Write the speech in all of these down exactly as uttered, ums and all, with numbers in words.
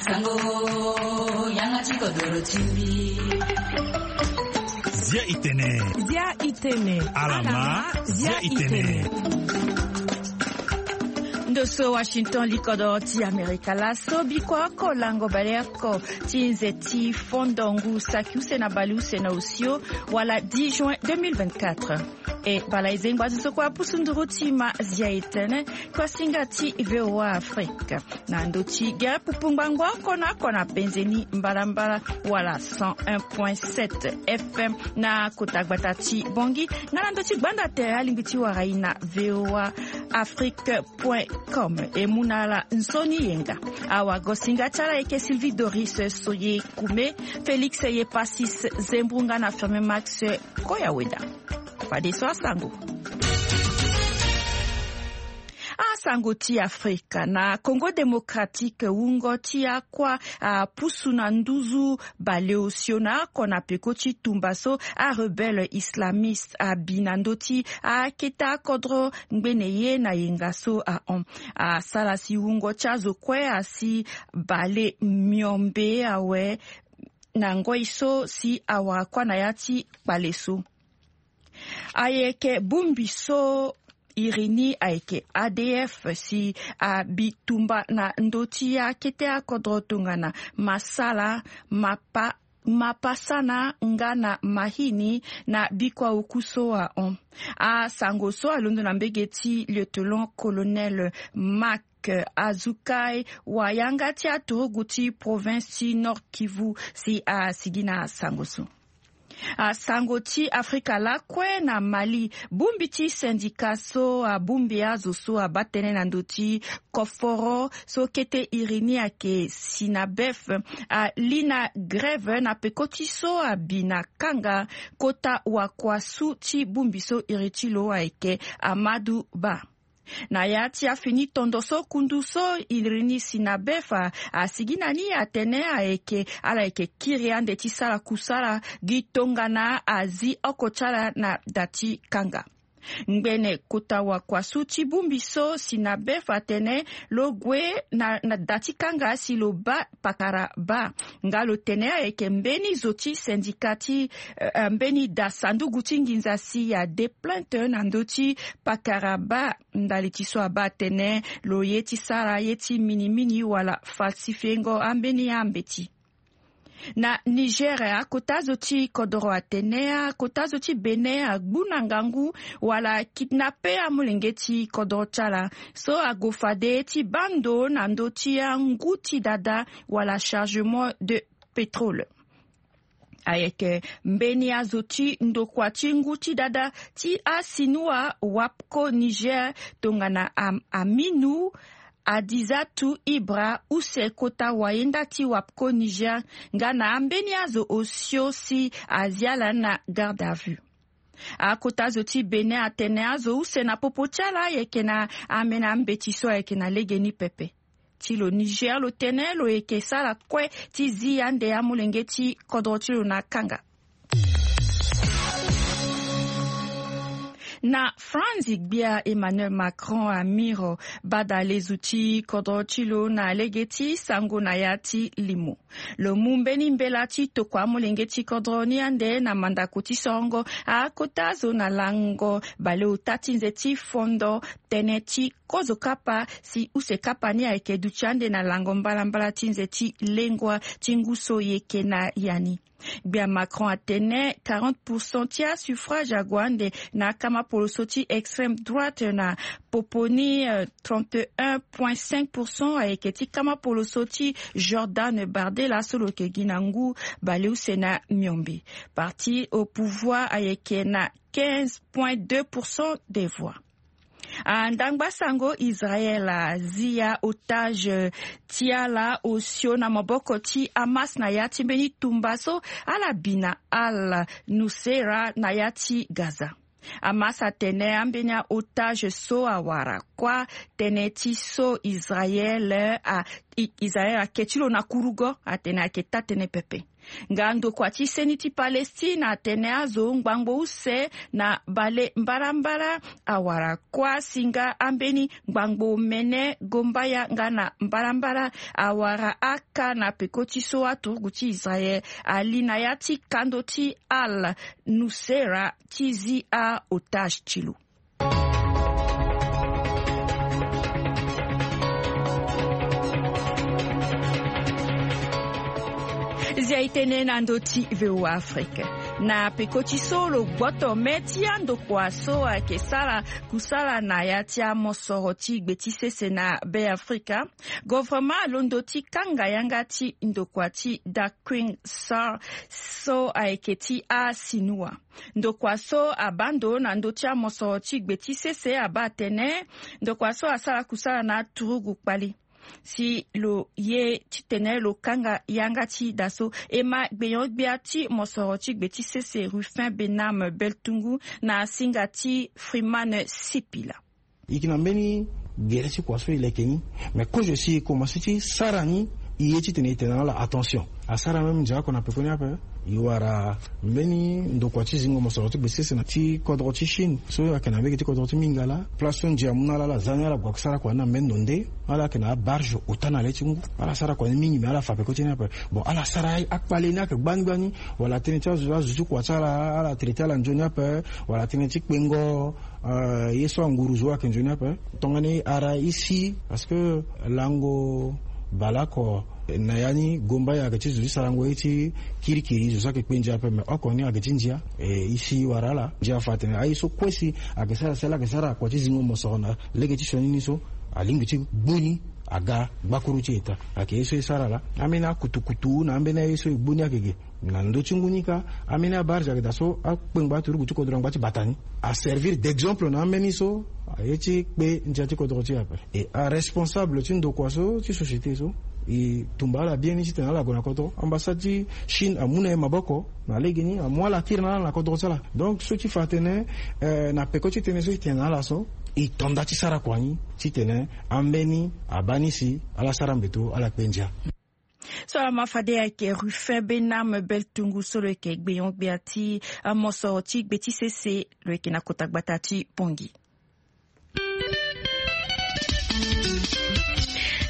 Sango, yanga ti kodoro ti mbi. Zia itene. Zia itene. Alama, zia itene. Ndo so Washington, likodoro ti Amerika laso. Biko oko lango baleoko ti nze ti fondo ngu saki use na baleuse na osio, wala dix juin deux mille vingt-quatre. E bala e zengba zo so kue apusu nduru ti ma zia itene, kuasinga ti V O A Afrique. Na ndo ti gere pupu ngbangbo oko na oko na penze ni mbalambala, wala cent un point sept F M na kota gbata ti Bongi, nga na ndo ti gbanda tere alingbi ti wara e na V O A Afrique point com. E mu na ala nzoni yenga. Awagosinga ti ala ayeke Sylvie Doris Soye Kume, Félix Yepasis Zembrunga na Firmin Max Koyaweda. Fadeso asango. Asango ti Afrika. Na Congo Démocratique, wungo ti akua apusu na nduzu baleosio na oko na peko ti tumba so arebelle islamiste abi na ndö ti akete akodro ngbene ye na yenga so ahon. Asara si wungo ti azo kue asi bale miombe awe na ngoi so si awara kuâ na ya ti kpale so. Ayeke bongbi so iri ni ayeke A D F si abi tumba na ndö ti akete akodro tongana Masala, Mapa, Mapasana nga na Mahini na bikua oku so ahon. Asango so alondo na mbege ti lieutenant-colonel Marc Azukai, wayanga ti aturugu ti province ti Nord-Kivu, si asigi na asango so. Asango ti Afrika lakue na Mali, bongbi ti syndicat so abongbi azo so abaa tënë na ndö ti koforo so kete iri ni ayeke Sinabef, ali na grève na peko ti so abi na kanga kota wakuasu ti bongbi so iri ti lo ayeke Amadu Ba. Na ya ti afini tondo so kundu so iri ni Sinabef asigi na ni atene ayeke ala yeke kiri ande ti sara kusala gi tongana azi oko ti ala na da ti kanga. Ngbene kota wakuasu ti bongbi so Sinabef atene lo gue na, na da ti kanga si lo baa pakara baa. Nga lo tene ayeke mbeni zo ti syndicat ti, eh, eh, mbeni da sanduku ti nginza si ade plainte na ndö ti pakara baa. Ndali ti so abaa atene lo ye ti sara ye ti minimini wala falsifiengo ambeni ambeti. Na Niger, akota zo ti kodoro atene akota zo ti Bénin agbu na ngangu wala kidnappe amolenge ti kodoro ti ala so ague fade ti baa ndo na ndö ti angu ti dada wala chargement de pétrole. Ayeke mbeni azo ti ndokua ti ngu ti dada ti asinua Wapco Niger tongana Am-, Aminu Adizatu Ibra use kota wayenda ti Wapco Niger nga na ambeni azo osio si azi ala na garde à vue. Akota zo ti Bénin atene azo use na popo ti ala ayeke na amena mbeti so ayeke na legeni pepe. Ti lo Niger lo tene lo yeke sara kue ti zi ande amolenge ti kodro ti lo na kanga. Na France, gbia Emmanuel Macron amiro bada lezu ti kodro ti lo na lege ti sango na ya ti limo. Lo mu mbeni mbela ti tokua amolenge ti kodro ni ande na mandako ti sorongo akota zo na lango baleota ti nze ti fondo tënë ti kozo kapa si use kapa ni ayeke duti ande na lango mbalambala ti nze ti lengua ti ngu so yeke na ya ni. Gbia Macron atene quarante pour cent ti asuffrage ague ande na akama poloso ti extrême droite na popo ni, euh, trente et un point cinq pour cent ayeke ti kama poloso ti Jordan Bardella so lo yeke gi na ngu baleuse na miombe. Parti au pouvoir ayeke na quinze point deux pour cent des voix. Andangba sango Israël azia otage ti ala osio na maboko ti Hamas na ya ti mbeni tumba so ala bi na Al Nusra na ya ti Gaza. Hamas atene ambeni aotage so awara kuâ tënë ti so Israël a, i-, Israël ake ti lo na kurugo atene ayeke taa-tënë pepe. Nga ndokua ti seni ti Palestine atene azo ngbangbo use na bale mbarambara awara kuâ si nga ambeni ngbangbo mene gombaya nga na mbarambara awara aka na peko ti so aturugu ti Israël ali na ya ti kando ti Al Nusra ti zi a otage ti lo. Zia e tene na ndö ti V O A Afrique. Na peko ti so lo gboto me ti andokua so ayeke sara kusala na ya ti amosoro ti gbe ti sese na Be Afrika, governement alondo ti kanga yanga ti ndokua ti Dakwin Sar so ayeke ti asinua. Ndokua so abaa ndo na ndö ti amosoro ti gbe ti sese abaa atene ndokua so asara kusala na aturugu kpali. Si lo ye titene lo kanga yanga ti da so e ma gbenyo-gbia ti mosoro ti gbe ti sese Rufin Benam Beltungu na singa ti Freeman Sipila. E yeke na mbeni gere ti kua so e leke ni. Mais kozo si e komanse ti sara ni, e ye titene e tene na ala attention. Asara même ndia oko na pekoni ape. E wara mbeni ndokua ti zingo mosoro ti gbe ti sese na ti kodro ti Chine so ayeke na mbege ti kodro ti Mingala. Place so ndia amu na ala, ala za ni ala gue sara kua ni na mbeni ndo nde. Ala yeke na abarge ota na le ti ngu. Ala sara kua ni mingi, mais ala fa peko ti ni ape. Bon, ala sara akpale ni ayeke gbani gbani. Wala tënë ti azo, azo ti kua ti ala, ala traité ala nzoni ape. Wala tënë ti kpengo, euh, ye so anguru zo ayeke nzoni ape. Tongana e ara e si, parce que lango baleoko na ya ni gombaya ayeke ti zo ti sarango ye ti kirikiri, zo so ayeke kpe ndia ape, mais oko ni ayeke ti ndia. E, e si e wara ala. Ndia afa atene aye so kue si ayeke sara si ala yeke sara kua ti zingo mosoro na lege ti sioni ni so, alingbi ti gbu ni aga gbakuru ti eta. Ayeke ye so e sara laa. Ambeni akutukutu na ambeni aye so e gbu ni ayeke ge. Na ndö ti ngu ni kâ, ambeni abarge ayeke daa so akpengba aturugu ti kodro angba ti bata ni. Aservir d'exemple na ambeni so aye ti kpe ndia ti kodro ti e ape. E aresponsable ti ndokua so ti société so, e tumba ala bien ni titene ala gue na kodro. Ambassade ti Chine amu na e maboko na legeni, amu ala kiri na ala na kodro ti ala. Donc so ti fa atene, eh, na peko ti tënë so e tene na ala so, e to nda ti sara kua ni titene ambeni abaa ni si ala sara mbeto, ala kpe ndia. So ala ma fade ayeke Rufin Benam Beltungu so lo yeke gbenyo-gbia ti, ah, mosoro ti gbe ti sese, lo yeke na kota gbata ti Pongi.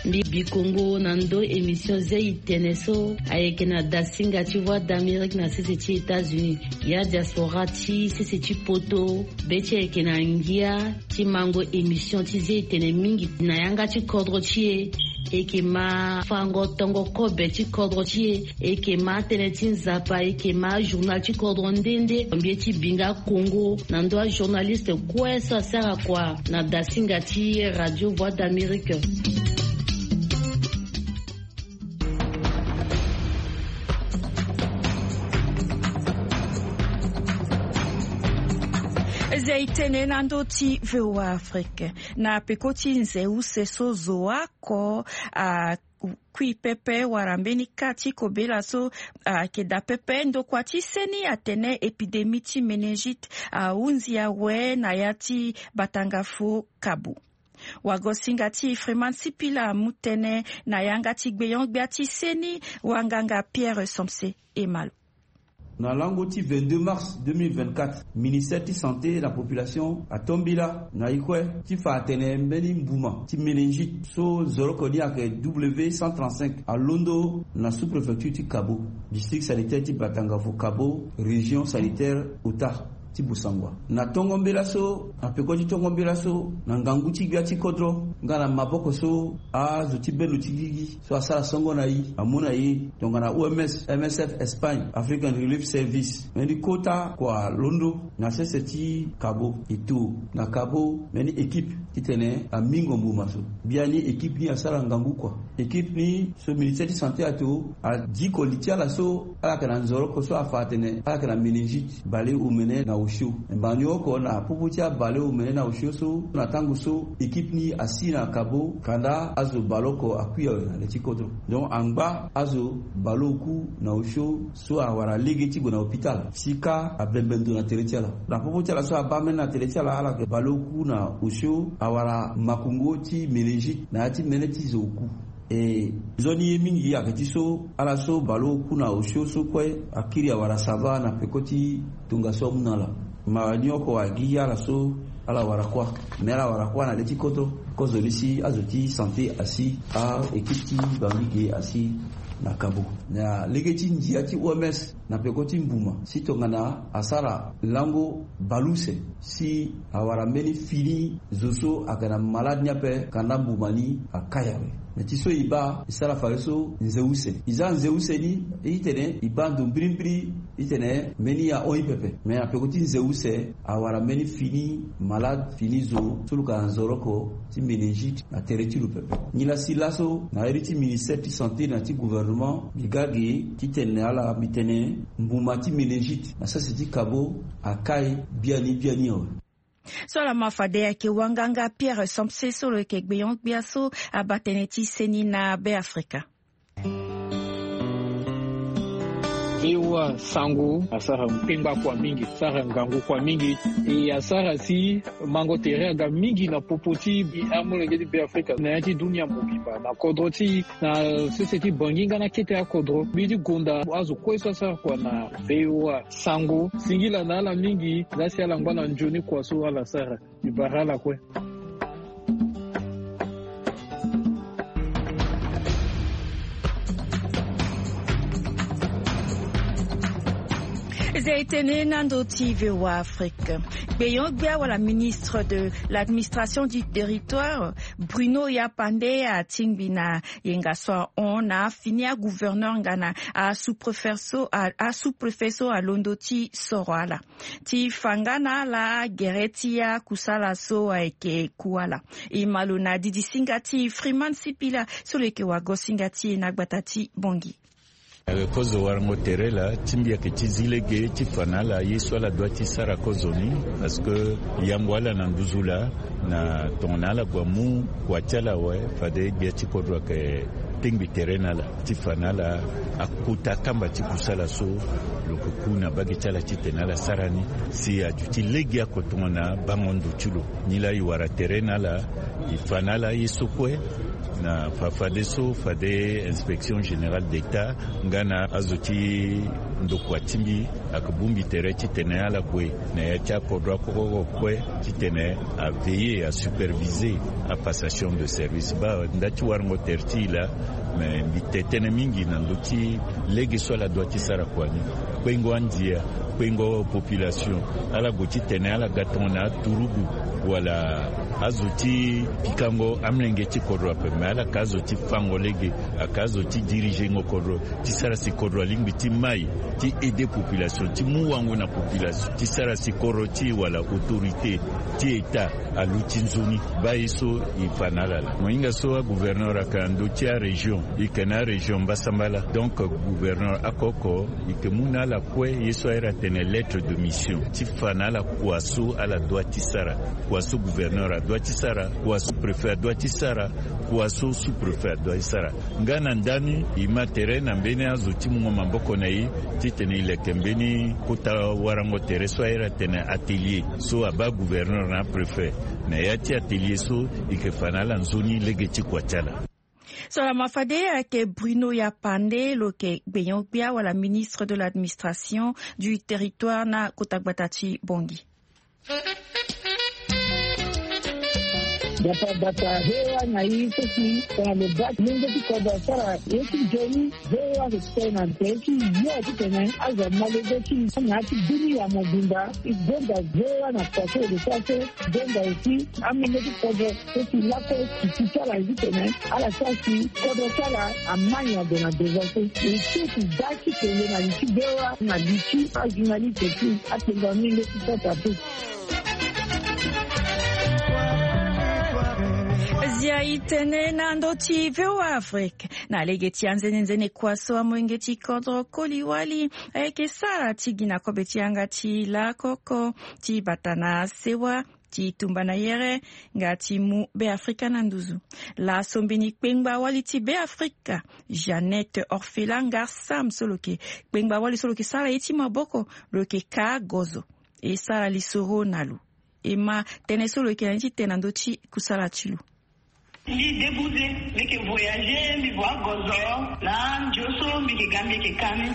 Mbi bi kongo na ndö émission zia e tene so ayeke na dasinga ti Voix d'Amérique na sese ti États-Unis. Ya diaspora ti sese ti poto, be ti e ayeke na ngia ti mango émission ti zia e tene mingi na yanga ti kodro ti e. E yeke ma fango tongo kobe ti kodro ti e. E yeke ma tënë ti Nzapa, e yeke ma journal ti kodro nde nde. Mbi ye ti bi nga kongo na ndö ajournaliste kue so asara kua na dasinga ti Radio Voix d'Amérique. Zia e tene na ndö ti V O A Afrique. Na peko ti nze use so zo oko, a, kui pepe wala mbeni ka ti kobela so ayeke daa pepe, ndokua ti seni atene épidémie ti méningite ahunzi awe na ya ti batangafu Kabo. Wagosinga ti Freeman Sipila amu tënë na yanga ti gbenyo-gbia ti seni, wanganga Pierre Somse Emalo. Na lango ti vingt-deux mars deux mille vingt-quatre, ministère ti santé na population ato mbela na e kue ti fa atene mbeni mbuma ti méningite so nzoroko ni ayeke W cent trente-cinq alondo na sous-préfecture ti Kabo, district sanitaire ti Batangafu Kabo, région sanitaire Ota ti Bossangoa. Na tongo mbela so, na peko ti tongo mbela so, na ngangu ti gbia ti kodro nga na maboko so azo ti bendo ti gigi so asara songo na e amu na e, tongana O M S, M S F Espagne, African Relief Service, mbeni kota kua alondo na sese ti Kabo. E to na Kabo mbeni équipe titene amingo mbuma so. Biani équipe ni asara ngangu kua. Équipe ni so ministère ti santé ato adiko li ti ala so ala yeke na nzoroko so afa atene ala yeke na méningite baleomene na osio. Mbani oko na popo ti abaleomene na osio so, na tango so équipe ni asi na Kabo, kanda azo baleoko akui awe na le ti kodro. Donc angba azo baleoku na osio so awara lege ti gue na hôpital si ka abembe ndo na tere ti ala. Na popo ti ala so abaa mbeni na tere ti ala, ala yeke baleoku na osio awara makongo ti méningite na ya ti mene ti zo oku. E nzoni ye mingi ayeke ti so ala so baleoku na osio so kue akiri awara sava na peko ti tongaso amu na ala. Ma ni oko agi ala so ala wara kuâ. Me ala wara kuâ na le ti koto kozoni si azo ti santé asi a-équipe ti bangi ge asi na kabo na lege ti ndia ti oms. Na peko ti mbuma si tongana asara lango baleuse si awara mbeni fini zo so ayeke na malade ni ape kanda mbuma ni akai awe. Me ti so e baa e sara fadeso nze use e za nze use ni. Itene e baa ndo mbirimbiri itene mbeni ahon ye pepe me na peko ti nze use awara mbeni fini malade fini zo so lo ka na nzoroko ti méningite na tere ti lo pepe. Nilasi laso na iri ti ministère ti santé na ti gouvernement mbi ga ge ti tene na ala mbi tene mbuma ti méningite na sese ti kabo akai biani biani awe. So ala ma fade ayeke wanganga Pierre Samse so lo yeke gbenyo-gbia so abaa tënë ti seni na Beafrika. Vewa sango asara kpengba kua mingi, asara ngangu kua mingi. E asara si mango tere aga mingi na popo ti amolenge ti Beafrika na ya ti dunia mobimba na kodro ti na sese ti bangi nga na kete akodro mbi ti gonda azo kue so asara kua na vewa sango singila na ala mingi. Laa si ala ngba na nzoni kua so ala sara. Mbi bara ala kue. Eza e tene na ndo ti vewa afrique. Gbenyo-gbia wala ministre de l'administration du territoire, Bruno Yapande, atingbi na yenga so ahon na afini agouverneur nga na asous-préfet so asous-préfet so alondo ti soro ala ti fa nga na ala gere ti akusala so ayeke ku ala. E ma lo na didi singa ti Freeman Sipila so lo yeke wago singa ti e na gbata ti Bongi. Kozo warango tere laa ti mbi ayeke ti zi lege ti fa na ala ye so ala dua ti sara kozo ni. Parce que yango ala na nduzu laa na tongana ala gue amu kua ti ala awe fade gbia ti kodro ayeke tengbi tere na ala ti fa na ala akota akamba ti kusala so lo yeke ku na mbage ti ala titene ala sara ni. Si aduti lege oko tongana bango ndo ti lo. Nilaa e wara tere na ala e fa na ala ye so kue na fa fadeso fade inspection générale d'état nga na azo ti ndokua ti mbi ayeke bongbi tere titene ala gue na ya ti akodro akokoko kue titene aveiller asuperviser apassation de service baa nda ti warango tere ti e laa. Me mbi te tënë mingi na ndö ti lege so ala dua ti sara kua ni. Kpengo andia kpengo population ala gue titene ala ga tongana aturugu wala azo ti pikango amolenge ti kodro ape me ala yeke azo ti fango lege. Ayeke azo ti dirigengo kodro ti sara si kodro alingbi ti mai ti aider population ti mu wango na population ti sara si kodro ti e wala autorité ti état aluti nzoni. Baa ye so e fa na ala laa mo hinga so agouverneur ayeke na ndö ti arégion e yeke na arégion mbasambala. Donc gouverneur oko oko e yeke mu na ala kue ye so airi atene lettre de mission ti fa na ala kua so ala dua ti sara, kua so gouverneur adua ti sara, kua so préfet adua ti sara, kua so sous-préfet adua ti sara. Nga na ndani e ma tere na mbeni azo ti mungo maboko na e titene e leke mbeni kota warango tere so airi atene atelier so abaa gouverneur na apréfet. Na ya ti atelier so e yeke fa na ala nzoni lege ti kua ti ala. So lama fade ayeke Bruno Yapande lo yeke gbenyo-gbia wala ministre de l'administration du territoire na kota gbata ti Bongi. Gbata gbata he wa na i so si tongana lo baa ti lenge ti kodro asara ye ti nzoni. He wa lo tene na tere ti yo titene azo amolenge ti na ya ti dunia mobimba. E gonda he wa na kua so lo sara so gonda aussi amolenge ti kodro so si lakue ti ti ti ala ye titene ala sara si kodro ti ala amai na ndo na devant so. E so ti da ti kele na li ti bewa na li ti ajournaliste ti apengo amolenge ti sasa te. Zia e tene na ndö ti voa afrique na lege ti anzenenzene kua so amolenge ti kodro koli wali ayeke sara ti gi na kobe ti yanga ti lakoko ti bata na sewa ti tumba na yere nga ti mu beafrika na nduzu. Laso mbeni kpengba wali ti beafrika jeannette orphelin ngar sam so lo yeke kpengba wali so lo yeke sara ye ti maboko lo yeke ka gozo e sara lisoro na lo. E ma tënë so lo yeke na ni ti tene na ndö ti kusala ti lo. Mbi debuze, mbi yeke voyager, mbi vo agozo na ndio so mbi yeke ga mbi yeke ka ni.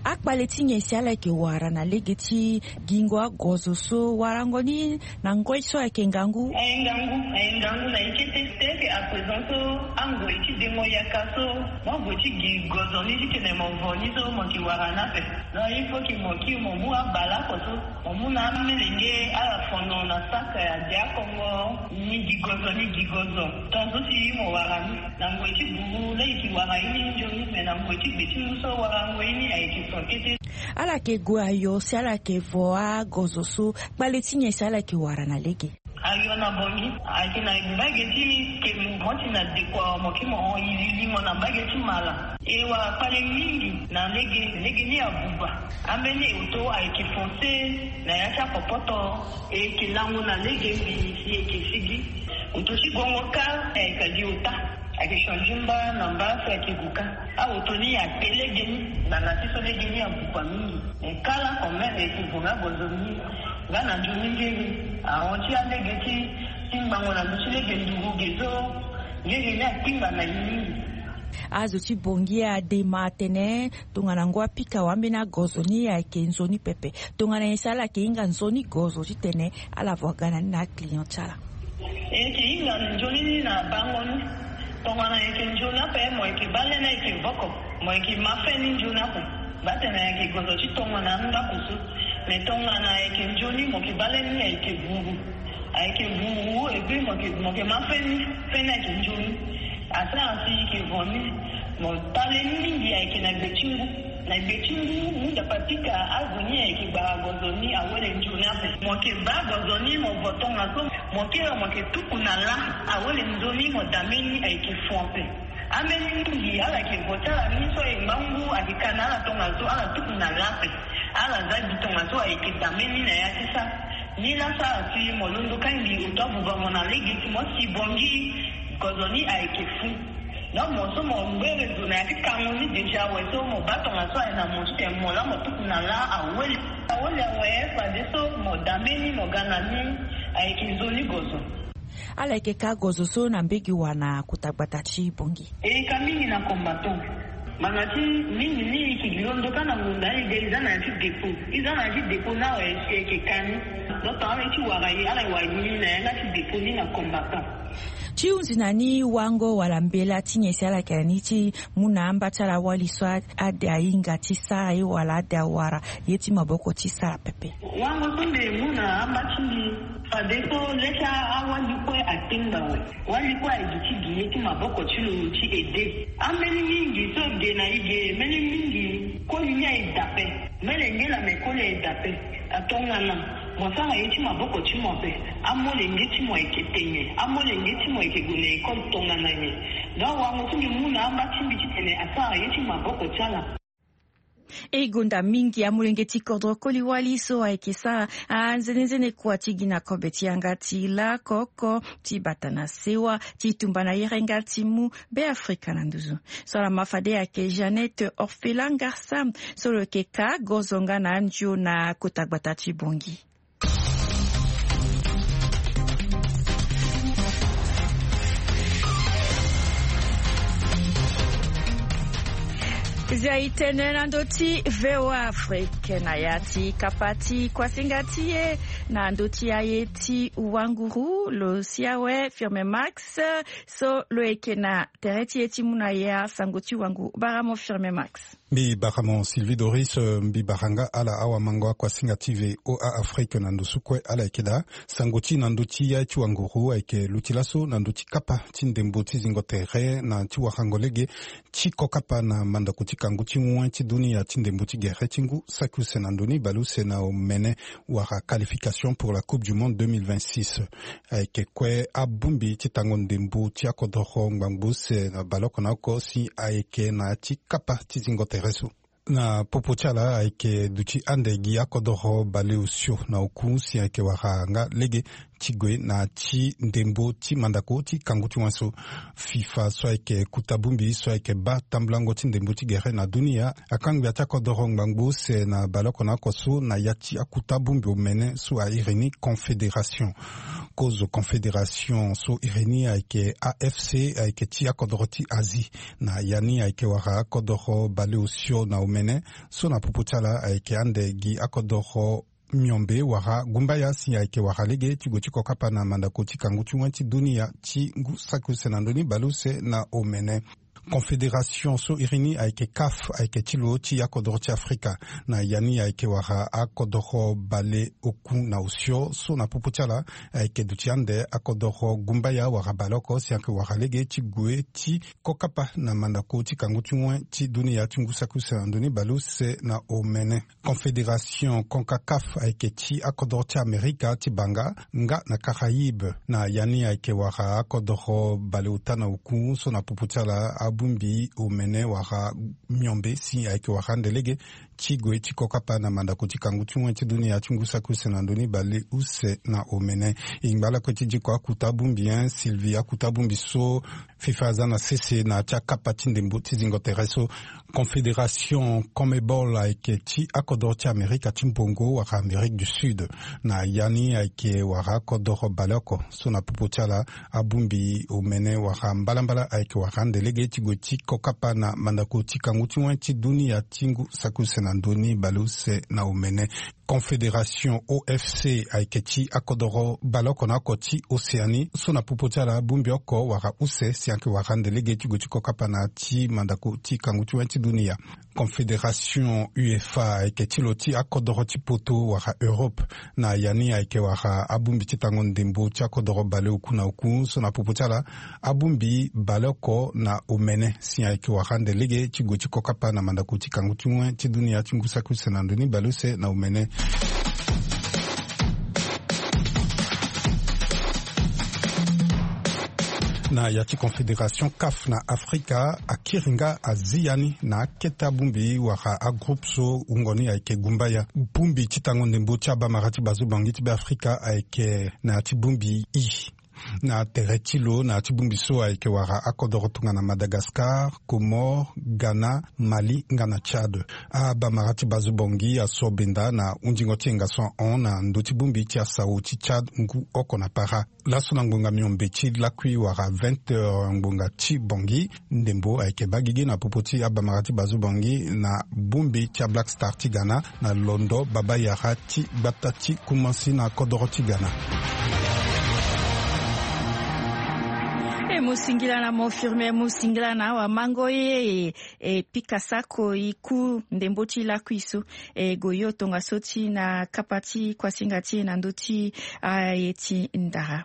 Akpale ti nyen si ala yeke wara na lege ti gingo agozo so, warango ni na ngoi so ayeke ngangu? Aye ngangu, aye ngangu na ye kete. Te yeke à présent so angoi ti dengo yaka so, mo gue ti gi gozo ni titene mo vo ni so mo yeke wara ni ape. Donc il faut que mo kiri mo mu abale oko so, mo mu na amelenge ala fono na saka ya dia kongo. Ni gi gozo, ni gi gozo. Tongaso si mo wara ni na ngoi ti buru laa e yeke wara ye ni nzoni, me na ngoi ti gbe ti ngu so warango ye ni ayeke so kete. Ala yeke gue ayo si ala yeke vo agozo so, kpale ti nyen si ala yeke wara na lege? Ayo na bongi ayeke na mbage ti ke mo ti na deko, mo ke mo hon iri limo na mbage ti mala. E wara kpale mingi na lege, lege ni abuba. Ambeni oto ayeke fonse na ya ti apopoto. E yeke lango na lege mbi si e yeke sigi. Oto ti gongo kâ, e yeke gi ota. Ayeke change mba na mba so ayeke gu kâ. Aoto ni ape lege ni, ngbanga ti so lege ni abuba mingi. E kala quand même e yeke vo nga gozo ni. Nga na nzoni ngeri ahon ti alege ti, ti ngbangbo na ndö ti lege nduru ge so. Ngeri ni akpingba na e mingi. Azo ti bongi adema atene tongana ngu apika wa ambeni agozo ni ayeke nzoni pepe. Tongana nyen si ala yeke hinga nzoni gozo titene ala vo aga na ni na aclient ti ala? E yeke hinga nzoni ni na bango ni. Tongana e yeke nzoni ape mo yeke bale ni ayeke voko, mo yeke ma fe ni nzoni ape. Batene ayeke gozo ti tongana ndako so. Me tongana ayeke nzoni mo yeke bale ni ayeke vuru. Ayeke vuru, et puis mo yeke, mo yeke ma fe ni, fe ni ayeke nzoni. Asara si e yeke vo ni, mo tale ni mingi ayeke na gbe ti ngu. Na gbe ti ngu, ngu dapa pika azo ni ayeke gbara gozo ni awele nzoni ape. Mo yeke baa gozo ni mo vo tongaso, mo kiri mo yeke tuku na lâ, awele nzoni mo dame ni ayeke fo ape. Ambeni mingi ala yeke vo ti ala ni so e ngba ngu ayeke ka na ala tongaso ala tuku na lâ ape. Ala za gi tongaso ayeke dame ni na ya ti sara. Ni laa sara si mo londo kâ mbi oto abuba mo na lege ti mo si bongi gozo ni ayeke fu. Donc mo so mo ngbe rezo na ya ti kango ni déjà awe so mo baa tongaso aye na mo titene mo laa mo tuku na lâ awele. Awele awe fadeso mo dame ni mo ga na ni ayeke nzoni gozo. Ala yeke ka gozo so na mbege wa na kota gbata ti bongi? E ka mingi na combattant. Ngbanga ti mingi ni e yeke gi londo kâ na ngonda ni de e za na ya ti dépôt. E za na ya ti dépôt ni awe si e yeke ka ni. Donc ala ye ti wara ye, ala ye wara ye ni na yanga ti dépôt ni na combattant. Ti hunzi na ni wango wala mbela ti nyen si ala yeke na ni ti mu na amba ti ala wali so a, ade ahinga ti sara ye wala ade awara ye ti maboko ti sara pepe? Wango so mbi mu na amba ti mbi, fadeso le ti awali kue atengba awe. Wali kue aye gi ti gi ye ti maboko ti lo ti aide. Ambeni mingi so ge na e ge, mbeni mingi koli ni aye dape. Mbeni nge la me koli aye dape. Atongana mo sara ye ti maboko ti mo ape. Amolenge ti mo ayeke tene, amolenge ti mo ayeke gue na école tongana nyen? Donc wango so mbi mu na amba ti mbi titene asara ye ti maboko ti ala. E gonda mingi amolenge ti kodro koli wali so ayeke sara anzenenzene kua ti gi na kobe ti yanga ti lakoko ti bata na sewa ti tumba na yerenga ti mu Beafrika na nduzu. So ala ma fade ayeke Jeannette Orphelin Ngarsa so lo yeke ka gozo nga na andio na kota gbata ti Bongi. Zia e tene na ndö ti V O A Afrique na ya ti kapa ti kuasinga ti e na ndö ti aye ti wanguru lo si awe Firme Max so lo yeke na tere ti e ti mu na ya sango ti wangu. Bara mo Firme Max. Mbi bara mo Sylvie Doris, mbi bara nga ala awamango akuasinga ti V O A Afrique na ndo su kue ala yeke daa. Sango ti na ndö ti ya ti wanguru ayeke luti laso na ndö ti kapa ti ndembo ti zingo tere na ti warango lege ti kokapa na mandako ti kangu ti wen ti dunia ti ndembo ti gere ti ngu saki use na ndo ni bale use na omene wala qualification pour la Coupe du Monde deux mille vingt-six. Ayeke kue abongbi ti tango ndembo ti akodoro ngbangbo use na baleoko na oko si ayeke na ya ti kapa ti zingo tere so. Na popo ti ala ayeke duti ande gi akodoro baleosio na oku si ayeke wara nga lege ti gue na ti ndembo ti mandako ti kangu ti wen so. Fifa so ayeke kuta bongbi so ayeke baa tambulango ti ndembo ti gere na dunia akangbi ya ti akodoro ngbangbo use na baleoko na oko so na ya ti akuta bongbi omene so airi ni confédération. Kozo confédération so iri ni ayeke afc ayeke ti akodoro ti asie. Na ya ni ayeke wara akodoro baleosio na omene so na popo ti ala ayeke ande gi akodoro miombe wara gumbaya si ayeke wara lege ti gue ti kokapa na mandako ti kangu ti wen ti dunia ti ngu saki use na ndoni baleuse na omene. Confédération so iri ni ayeke caf ayeke ti lo ti akodoro ti afrika. Na ya ni ayeke wara akodoro baleoku na osio so na popo ti ala ayeke duti ande akodoro gumbaya wara baleoko si ayeke wara lege ti gue ti kokapa na mandako ti kangu ti wen ti dunia ti ngu saki use na ndoni baleuse na omene. Confédération concacaf ayeke ti akodoro ti amerika ti banga nga na caraïbe. Na ya ni ayeke wara akodoro baleota na oku so na popo ti ala abongbi omene wara miombe si ayeke wara ande lege ti gue ti kokapa na mandako ti kangu ti wen ti dunia ti ngu saki use na ndoni baleuse na omene. E ngba lakue ti diko akuta bongbi en sylvie akuta bongbi so fifa aza na sese na ya ti akapa ti ndembo ti zingo tere so. Confédération conmebol ayeke ti akodoro ti amerika ti mbongo wala amérique du sud. Na ya ni ayeke wala akodoro baleoko so na popo ti ala abongbi omene wala mbalambala ayeke wala ande lege ti gue ti kokapa na mandako ti kangu ti wen ti dunia ti ngu saki use na ndoni baleuse na omene. Confédération ofc ayeke ti akodoro baleoko na oko ti océanie so na popo ti ala bongbi oko wala use si ayeke wala ande lege ti gue ti kokapa na ti mandako ti kangu ti wen ti dunia. Confédération uefa ayeke ti lo ti akodoro ti poto wala europe. Na ya ni ayeke wala abongbi ti tango ndembo ti akodoro baleoku na oku so na popo ti ala abongbi baleoko na omene si ayeke wala ande lege ti gue ti kokapa na mandako ti kangu ti wen ti dunia ti ngu saki use na ndoni baleuse na omene. Na ya ti confédération caf na afrika akiri nga azi ya ni na akete abongbi wala agroupe so wungo ni ayeke gumbaya. Bongbi ti tango ndembo ti abamara ti bazo bangi ti be afrika ayeke na ya ti bongbi i. Na tere ti lo na ya ti bongbi so ayeke wara akodoro tongana madagascar, comores, ghana, mali nga na tchad. Abamara ti bazo bongi aso benda na hundingo ti yenga so ahon na ndö ti bongbi ti asao ti tchad ngu oko na para. Laso na ngbonga miombe ti lakui wara vingt heures ngbonga ti bongi, ndembo ayeke baa gigi na popo ti abamara ti bazo bongi na bongbi ti ablack star ti ghana na londo baba yara ti gbata ti kumansi na kodoro ti ghana. E mo singila na mo firme mo singila na awa mango ye e pika sako e ku ndembo ti lakui so e goyo tongaso ti na kapa ti kuasinga ti e na ndö ti aye ti ndara.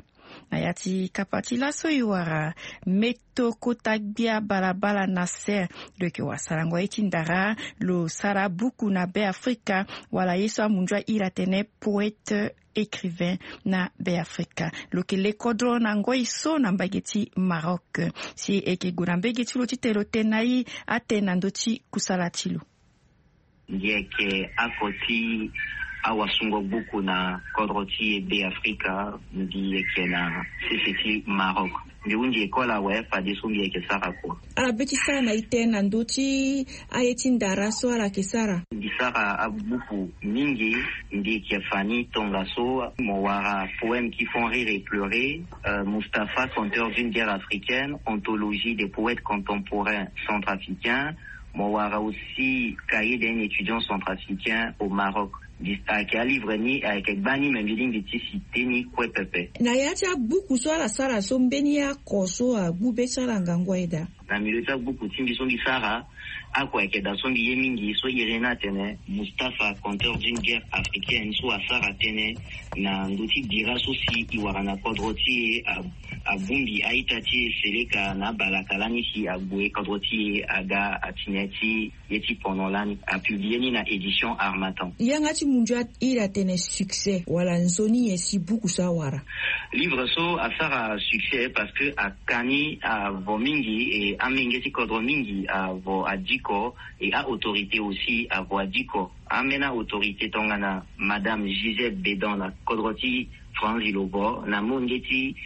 Na ya ti kapa ti laso e wara meto kota gbia balabala na ser. Lo yeke wara sarango aye ti ndara lo sara buku na be afrika wala ye so amundu ahiri atene poète écrivain na be afrika. Lo yeke le kodro na ngoi so na mbage ti maroc si e yeke gue na mbege ti lo titene lo tene na e atene na ndö ti kusala ti lo. Ngi yeke ako ti awasungo gbuku na kodro ti e be afrika. Ngi yeke na sese ti maroc. Ngi hunzi ekole awe fadeso ngi yeke sara kua. Ala be ti sara na ite na ndö ti aye ti ndara so ala yeke sara. Ngi sara abuku mingi. Ngi yeke fa ni tongaso mo wara poème qui font rire et pleurer, euh, mustapha conteur d'une guerre africaine, anthologie des poètes contemporains centrafricains. Mo wara aussi cahier d'un étudiant centrafricain au maroc. Ayeke alivre ni ayeke gbani me mbi lingbi ti si te ni kue pepe. Na ya ti abuku so ala sara so mbeni ako so agbu be ti ala ngangu aye daa. Na milieu ti abuku ti mbi so mbi sara, ako ayeke daa so mbi ye mingi so iri ni atene mustapha conteur d'une guerre africaine so asara tënë na ndö ti bira so si e wara na kodro ti e. Abongbi a-ita ti e seleka na abalaka lani si ague kodro ti e aga atene ti ye ti pendant lani. Apiblie ni na édition harmattan. Yanga ti mundu ahiri atene succès wala nzoni nyen si buku so awara? Livre so asara succès parce que aka ni avo mingi e amenge ti kodro mingi avo adiko, e a-autorité aussi avo adiko. Ambeni a-autorité tongana madame gisèle bedan na kodro ti Franzi Lobo na molenge ti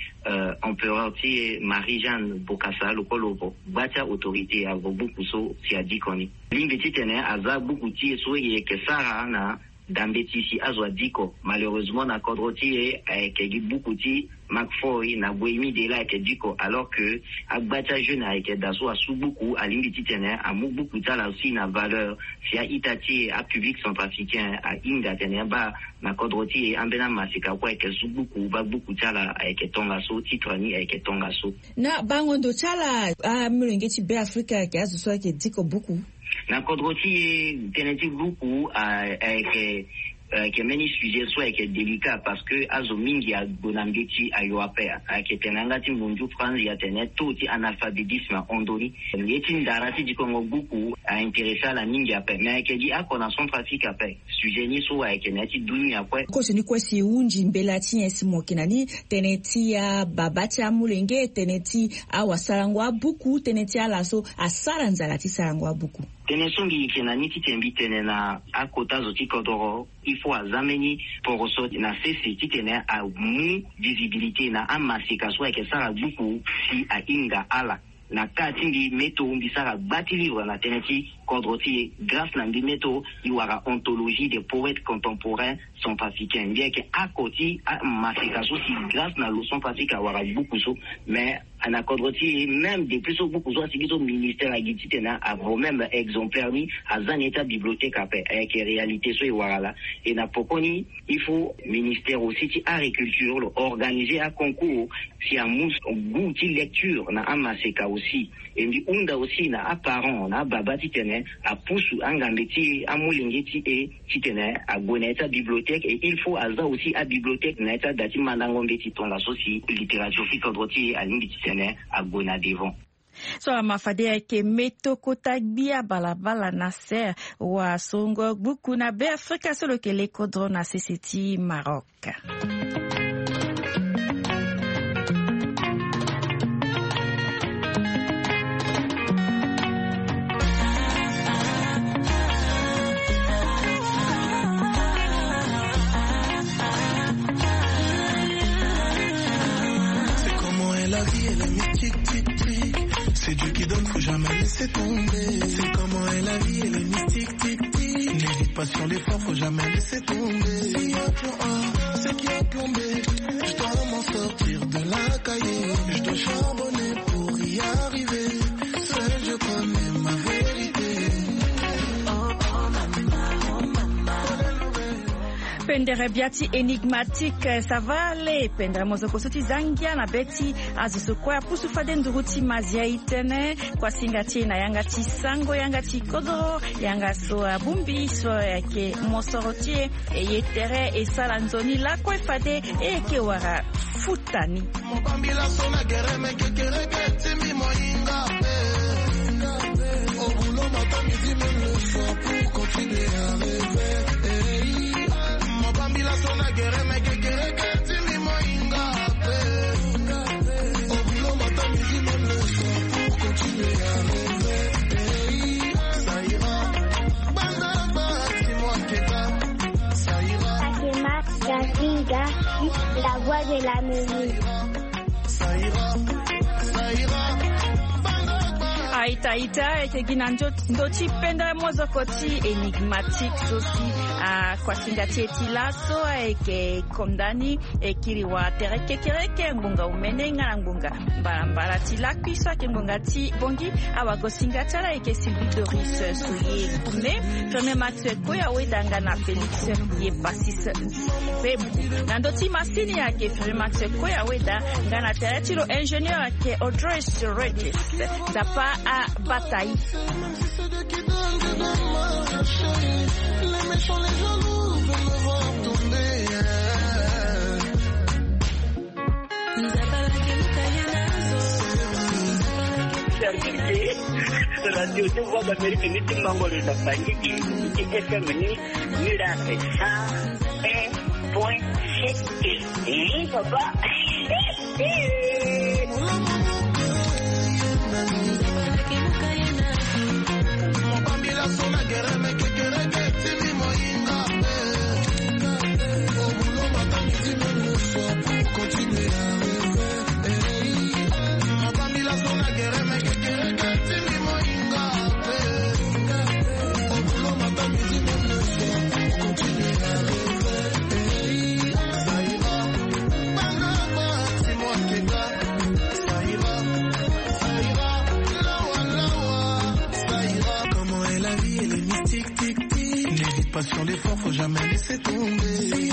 empereur ti e Marie Jeanne Bokassa, lo kue lo gba ti autorité avo buku so si adiko ni. Lingbi titene aza buku ti e so e yeke sara na dambe ti si azo adiko. Malheureusement na kodro ti e ayeke gi buku ti Mark Foy na Bohémie de là ayeke diko, alors que agba ti ajeune ayeke daa so asu buku, alingbi titene amu buku ti ala aussi na valeur. Si a-ita ti e apublic centrafricain ahinga atene abaa na kodro ti e ambeni amaseka kue ayeke su buku, baa buku ti ala ayeke tongaso, titre ni ayeke tongaso. Na bango ndo ti ala amolenge ti Beafrika ayeke azo so ayeke diko buku. Na kodro ti e tënë ti buku ayeke ayeke mbeni sujet so ayeke délicat, parce que azo mingi ague na mbeti ayo ape. Ayeke tene na yanga ti mundu franzi atene taux ti analphabétisme ahon ndoni. Ye ti ndara ti dikongo buku a intéressé ala mingi ape, mais ayeke gi oko na Centrafrique ape. Sujet ni so ayeke na ya ti dunia kue. Koso ni kue si e hunzi mbela ti nyen si mo yeke na ni? Tënë ti ababa ti amolenge, tënë ti awasarango abuku, tënë ti ala so asara nzala ti sarango abuku. Tënë so mbi yeke na ni titene mbi tene na akota zo ti kodoro, il faut aza mbeni poroso na sese titene amu visibilité na amaseka so ayeke sara buku si ahinga ala. Na ka ti mbi meto mbi sara gba ti livre na tënë ti kodro ti e. Grâce na mbi meto, e wara anthologie des poètes contemporains centrafricains. Mbi yeke oko ti amaseka so si grâce na lo Centrafrique awara buku so. Mais na kodro ti e, même depuis so buku so asigi so, ministère agi titene avo même exemplaire ni aza na ya ti abibliothèque ape. Ayeke réalité so e wara laa. E na pokoni il faut ministère aussi ti agriculture lo organiser aconcours si amu goût ti lecture na amaseka aussi. E mbi hunda aussi na aparent na ababa titene apusu angambe ti e, amolenge ti e, titene ague na ya ti abibliothèque. Et il faut aza aussi abibliothèque na ya ti ada ti mandango mbeti tongaso si littérature ti kodro ti e alingbi titene ague na devant. So ama fade ayeke meto kota gbia balabala na ser wa songo gbuku na Beafrika so lo yeke le kodro na sese ti Maroc. C'est comment est la vie, elle est mystique, tic, tic. C'est Dieu qui donne, faut jamais laisser tomber. C'est comment est la vie, elle est mystique, tic, tic. N'hésite pas sur l'effort, faut jamais laisser tomber. S'il y a plan A, c'est qu'il y a plan B. Je dois m'en sortir de la cahier. Je dois charbonner pour y arriver. Seul Dieu connaît ma vérité. Pendere bia ti Enigmatique, ça va aller? Pendere mozoko so ti za ngia na be ti azo so kue apusu fade nduru ti mazia e tënë. Kuasinga ti e na yanga ti sango, yanga ti kodro, yanga so abongbi so ayeke mosoro ti e. E ye tere e sara nzoni lakue fade e yeke wara futa ni. Mo bambila so na gere me kekereke ti mbi mo hinga ape. Au boulot matin, midi, même le soir pour continuer à rêver. Hey. Mo bambila so na gere me kekereke ti mbi mo hinga ape. Au boulot matin, midi, même le soir pour continuer à rêver. Hey. Ça ira. Banda ba ti mo aketa. Ça ira. Fatima Gazinga, la voix de la musique. Aita ita, e yeke gi na ndo ti pendere mozoko ti Enigmatique so si akuasinga ti e ti laso ayeke konda ni. E kiri wara tere kekereke ngbonga omene nga na ngbonga mbalambala ti lakui so ayeke ngbonga ti bongi. Awagosinga ti ala ayeke Sylvie Doris Soye. Me Fermé Max Koya Weda nga na Félix ye Passis. Pe na ndö ti masini ayeke Fermé Max Koya Weda nga na tere ti lo ingénieur ayeke Audrey Regis. Tapa abata e. Même si c'est Dieu qui donne, je donne ma chérie. Les méchants, les jaloux veulent me voir tomber. Service de Radio de Voix d'Amérique, ni ti mango le na Bangui, ni ti F M ni, ni la cent un point sept. Oui, papa. L'effort, faut jamais laisser tomber.